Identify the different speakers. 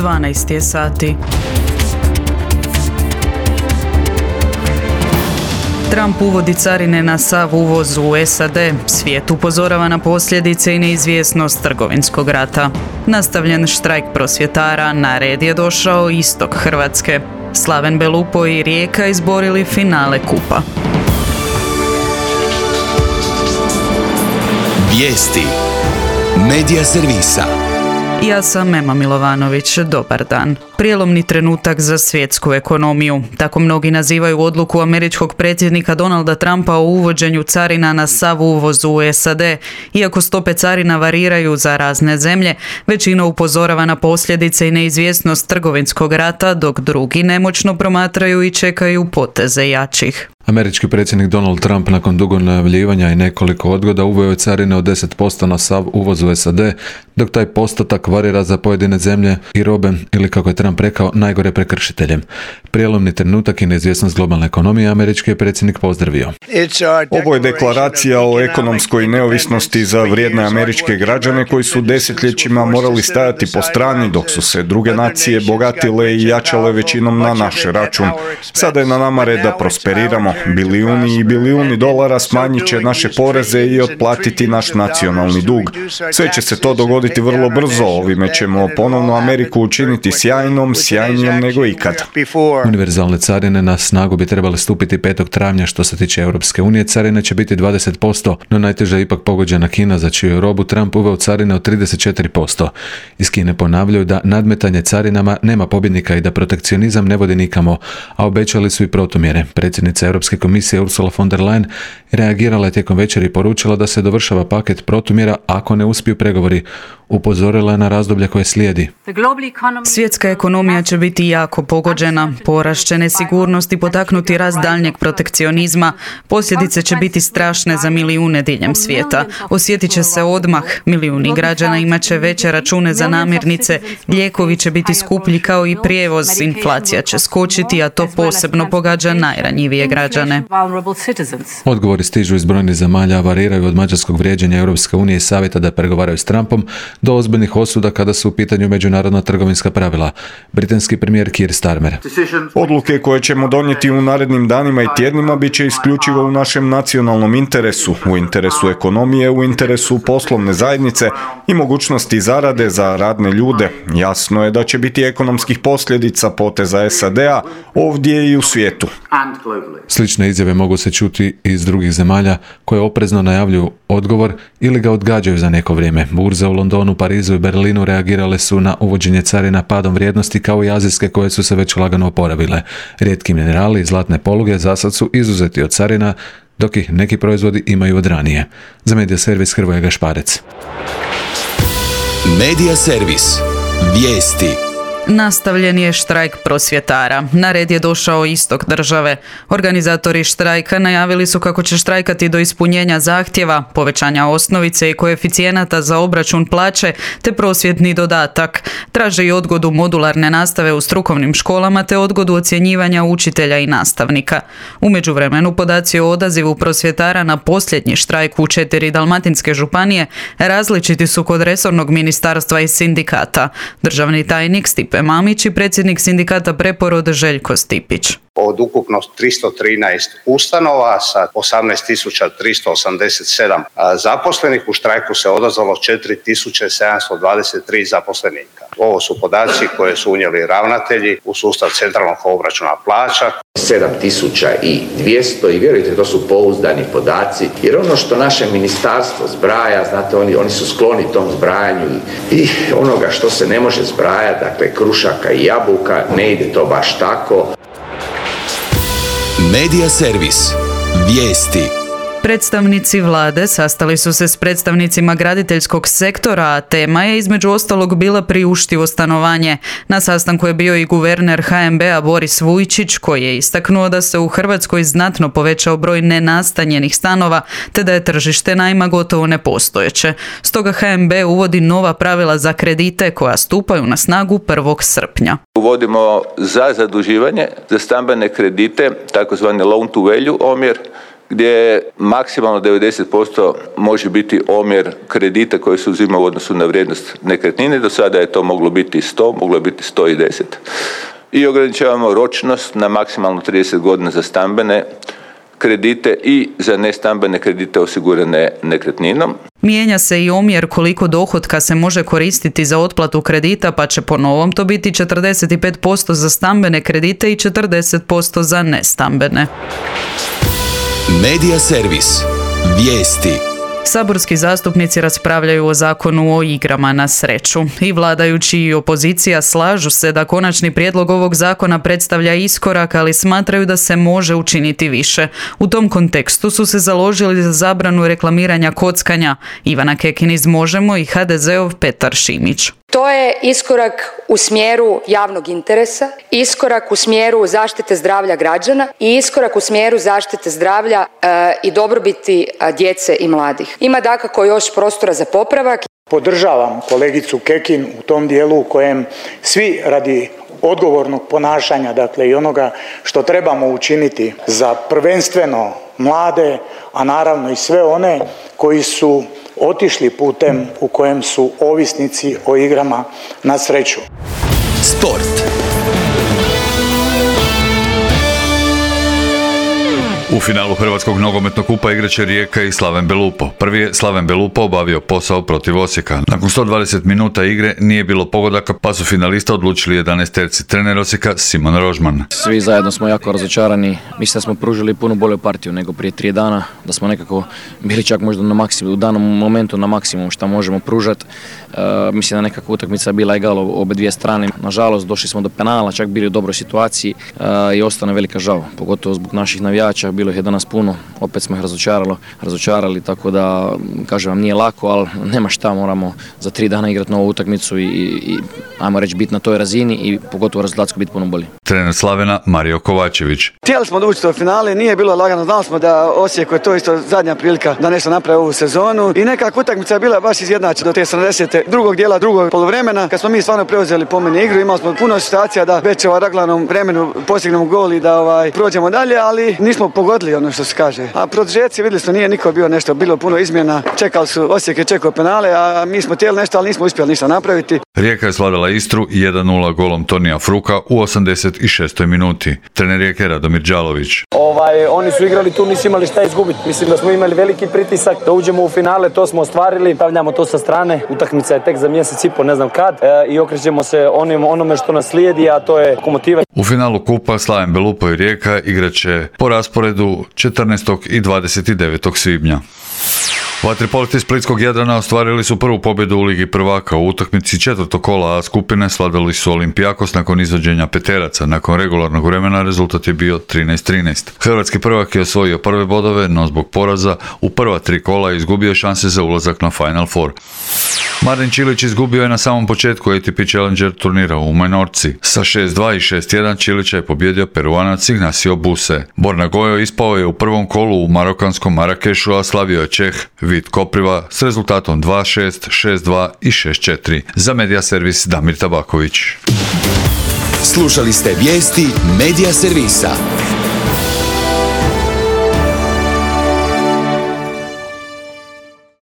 Speaker 1: 12 je sati. Trump uvodi carine na sav uvoz u SAD. Svijet upozorava na posljedice i neizvjesnost trgovinskog rata. Nastavljen štrajk prosvjetara, na red je došao istok Hrvatske. Slaven Belupo i Rijeka izborili finale kupa.
Speaker 2: Vijesti Medija servisa.
Speaker 1: Ja sam Ema Milovanović, dobar dan. Prijelomni trenutak za svjetsku ekonomiju. Tako mnogi nazivaju odluku američkog predsjednika Donalda Trumpa o uvođenju carina na sav uvoz u SAD. Iako stope carina variraju za razne zemlje, većina upozorava na posljedice i neizvjesnost trgovinskog rata, dok drugi nemoćno promatraju i čekaju poteze jačih.
Speaker 3: Američki predsjednik Donald Trump nakon dugog najavljivanja i nekoliko odgoda uveo je carine od 10% na sav uvoz u SAD, dok taj postotak varira za pojedine zemlje i robe, ili kako je Trump rekao, najgore prekršiteljem. Prijelomni trenutak i neizvjesnost globalne ekonomije američki je predsjednik pozdravio.
Speaker 4: Ovo je deklaracija o ekonomskoj neovisnosti za vrijedne američke građane koji su desetljećima morali stajati po strani dok su se druge nacije bogatile i jačale većinom na naš račun. Sada je na nama red da prosperiramo. Bilijuni i bilijuni dolara smanjit će naše poreze i otplatiti naš nacionalni dug. Sve će se to dogoditi vrlo brzo. Ovime ćemo ponovno Ameriku učiniti sjajnijom nego ikad.
Speaker 3: Univerzalne carine na snagu bi trebale stupiti 5. travnja. Što se tiče Europske unije, carine će biti 20%, no najteže je ipak pogođena Kina, za čiju robu Trump uveo carine od 34%. Iz Kine ponavljaju da nadmetanje carinama nema pobjednika i da protekcionizam ne vodi nikamo, a obećali su i protumjere. Predsjednica Europske komisije Ursula von der Leyen reagirala je tijekom večeri i poručila da se dovršava paket protumjera ako ne uspiju pregovori. Upozorila je na razdoblje koje slijedi.
Speaker 1: Svjetska ekonomija će biti jako pogođena, porast će nesigurnost i potaknuti rast daljnjeg protekcionizma. Posljedice će biti strašne za milijune diljem svijeta. Osjetit će se odmah, milijuni građana imat će veće račune za namirnice, lijekovi će biti skuplji kao i prijevoz, inflacija će skočiti, a to posebno pogađa najranjivije građane.
Speaker 3: Odgovori stižu iz brojnih zemalja, variraju od mađarskog vrijeđanja Europske unije i savjeta da pregovaraju s Trumpom do ozbiljnih osuda kada su u pitanju međunarodna trgovinska pravila. Britanski premijer Keir Starmer.
Speaker 4: Odluke koje ćemo donijeti u narednim danima i tjednima bit će isključivo u našem nacionalnom interesu, u interesu ekonomije, u interesu poslovne zajednice i mogućnosti zarade za radne ljude. Jasno je da će biti ekonomskih posljedica poteza SAD-a ovdje i u svijetu.
Speaker 3: Slične izjave mogu se čuti iz drugih zemalja koje oprezno najavljuju odgovor ili ga odgađaju za neko vrijeme. Burze u Londonu, Parizu i Berlinu reagirale su na uvođenje carina padom vrijednosti kao i azijske koje su se već lagano oporavile. Rijetki minerali i zlatne poluge zasad su izuzeti od carina, dok ih neki proizvodi imaju od ranije. Za Medija servis Hrvoje Gašparec.
Speaker 2: Medija servis. Vijesti.
Speaker 1: Nastavljen je štrajk prosvjetara. Na red je došao istok države. Organizatori štrajka najavili su kako će štrajkati do ispunjenja zahtjeva, povećanja osnovice i koeficijenata za obračun plaće te prosvjetni dodatak. Traže i odgodu modularne nastave u strukovnim školama te odgodu ocjenjivanja učitelja i nastavnika. U međuvremenu podaci o odazivu prosvjetara na posljednji štrajk u 4 dalmatinske županije različiti su kod resornog ministarstva i sindikata. Državni tajnik Stipe Mamić i predsjednik sindikata Preporod Željko Stipić.
Speaker 5: Od ukupno 313 ustanova sa 18.387 zaposlenih u štrajku se odazvalo 4.723 zaposlenika. Ovo su podaci koje su unijeli ravnatelji u sustav centralnog obračuna plaća.
Speaker 6: 7.200 i vjerujte, to su pouzdani podaci, jer ono što naše ministarstvo zbraja, znate, oni su skloni tom zbrajanju i onoga što se ne može zbrajati, dakle krušaka i jabuka, ne ide to baš tako.
Speaker 2: Medija servis. Vijesti.
Speaker 1: Predstavnici vlade sastali su se s predstavnicima graditeljskog sektora, a tema je između ostalog bila priuštivo stanovanje. Na sastanku je bio i guverner HNB-a Boris Vujčić, koji je istaknuo da se u Hrvatskoj znatno povećao broj nenastanjenih stanova, te da je tržište najma gotovo nepostojeće. Stoga HNB uvodi nova pravila za kredite koja stupaju na snagu 1. srpnja.
Speaker 7: Uvodimo za zaduživanje, za stambene kredite, takozvani loan to value omjer, gdje maksimalno 90% može biti omjer kredita koji se uzima u odnosu na vrijednost nekretnine. Do sada je to moglo biti 100, moglo je biti 110. I ograničavamo ročnost na maksimalno 30 godina za stambene kredite i za nestambene kredite osigurane nekretninom.
Speaker 1: Mijenja se i omjer koliko dohotka se može koristiti za otplatu kredita, pa će po novom to biti 45% za stambene kredite i 40% za nestambene.
Speaker 2: Medija servis. Vijesti.
Speaker 1: Saborski zastupnici raspravljaju o zakonu o igrama na sreću. I vladajući i opozicija slažu se da konačni prijedlog ovog zakona predstavlja iskorak, ali smatraju da se može učiniti više. U tom kontekstu su se založili za zabranu reklamiranja kockanja. Ivana Kekin iz Možemo i HDZ-ov Petar Šimić.
Speaker 8: To je iskorak u smjeru javnog interesa, iskorak u smjeru zaštite zdravlja građana i iskorak u smjeru zaštite zdravlja i dobrobiti djece i mladih. Ima dakako još prostora za popravak.
Speaker 9: Podržavam kolegicu Kekin u tom dijelu u kojem svi radi odgovornog ponašanja, dakle i onoga što trebamo učiniti za prvenstveno mlade, a naravno i sve one koji su otišli putem u kojem su ovisnici o igrama na sreću.
Speaker 2: Sport.
Speaker 10: U finalu Hrvatskog nogometnog kupa igraće Rijeka i Slaven Belupo. Prvi je Slaven Belupo obavio posao protiv Osijeka. Nakon 120 minuta igre nije bilo pogodaka, pa su finalista odlučili 11-terci. Trener Osijeka Simon Rožman.
Speaker 11: Svi zajedno smo jako razočarani. Mislim da smo pružili puno bolju partiju nego prije 3 dana, da smo nekako bili čak možda na maksimum, u danom momentu na maksimum što možemo pružati. Mislim da nekako utakmica bila egalo obe dvije strane. Nažalost, došli smo do penala, čak bili u dobroj situaciji i ostane velika žal, pogotovo zbog naših navijača. Bilo ih je danas puno, opet smo ih razočarali, tako da, kažem vam, nije lako, ali nema šta, moramo za 3 dana igrati novu utakmicu i ajmo reći biti na toj razini i pogotovo rezultatsko biti puno bolji.
Speaker 10: Trener Slavena Mario Kovačević.
Speaker 12: Htjeli smo doći do finale, nije bilo lagano, znali smo da Osijeku je to isto zadnja prilika da nešto napravi ovu sezonu i nekako utakmica je bila baš izjednačena do te 70. drugog dijela, drugog poluvremena, kad smo mi stvarno preuzeli po meni igru, imali smo puno situacija da već raglanom vremenu postignemo gol i da prođemo dalje, ali nismo pogodili ono što se kaže. A produžeci vidjeli smo, nije niko bio nešto, bilo puno izmjena, čekali su, Osijek je čekao penale, a mi smo htjeli nešto, ali nismo uspjeli ništa napraviti.
Speaker 10: Rijeka je svladala Istru 1-0 golom Tonija Fruka u 86. minuti. Trener Rijeke Radomir Đalović.
Speaker 13: Oni su igrali tu, nisu imali šta izgubiti. Mislim da smo imali veliki pritisak da uđemo u finale, to smo ostvarili, stavljamo to sa strane. Utakmica je tek za mjesec i po, ne znam kad, i okrećemo se onome što nas slijedi, a to je Lokomotiva.
Speaker 10: U finalu kupa Slaven Belupo i Rijeka igraće po rasporedu 14. i 29. svibnja. Vaterpolisti Splitskog Jadrana ostvarili su prvu pobjedu u Ligi prvaka. U utakmici 4. kola A skupine svladali su Olimpijakos nakon izvođenja peteraca. Nakon regularnog vremena rezultat je bio 13-13. Hrvatski prvak je osvojio prve bodove, no zbog poraza u prva 3 kola izgubio šanse za ulazak na Final Four. Marin Čilić izgubio je na samom početku ATP Challenger turnira u Menorci. Sa 6-2 i 6-1 Čilića je pobjedio Peruanac Ignacio Buse. Borna Gojo ispao je u prvom kolu u marokanskom Marakešu, a slavio je Čeh Vit Kopriva s rezultatom 2-6, 6-2 i 6-4. Za Medija servis Damir Tabaković.
Speaker 2: Slušali ste vijesti Medija servisa.